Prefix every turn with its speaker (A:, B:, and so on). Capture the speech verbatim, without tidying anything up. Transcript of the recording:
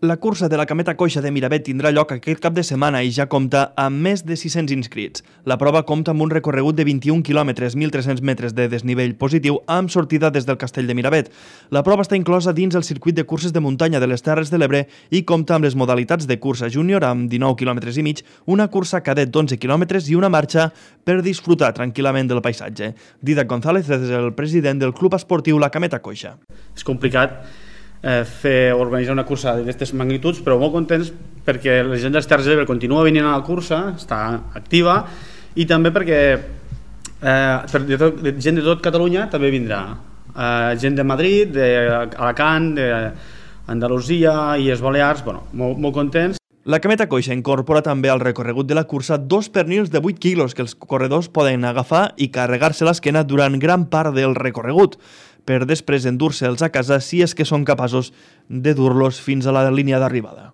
A: La cursa de la Cameta Coixa de Miravet tindrà lloc aquest cap de setmana i ja compta amb més de sis-cents inscrits. La prova compta amb un recorregut de vint-i-un quilòmetres, mil tres-cents metres de desnivell positiu, amb sortida des del Castell de Miravet. La prova està inclosa dins el circuit de curses de muntanya de les Terres de l'Ebre i compta amb les modalitats de cursa júnior amb dinou quilòmetres i mig, una cursa cadet d'onze quilòmetres i una marxa per disfrutar tranquil·lament del paisatge. Dídac González és el president del Club Esportiu La Cameta Coixa.
B: És complicat Eh, fer organitzar una cursa d'aquestes magnituds, però molt contents perquè la gent dels Terres de l'Ebre continua venint a la cursa, està activa, i també perquè eh, per de tot, de gent de tot Catalunya també vindrà, eh, gent de Madrid, d'Alacant, d'Andalusia i les Balears, bueno, molt, molt contents.
A: La Cameta Coixa incorpora també al recorregut de la cursa dos pernils de vuit quilos que els corredors poden agafar i carregar-se l'esquena durant gran part del recorregut, per després endur-se'ls a casa si és que són capaços de dur-los fins a la línia d'arribada.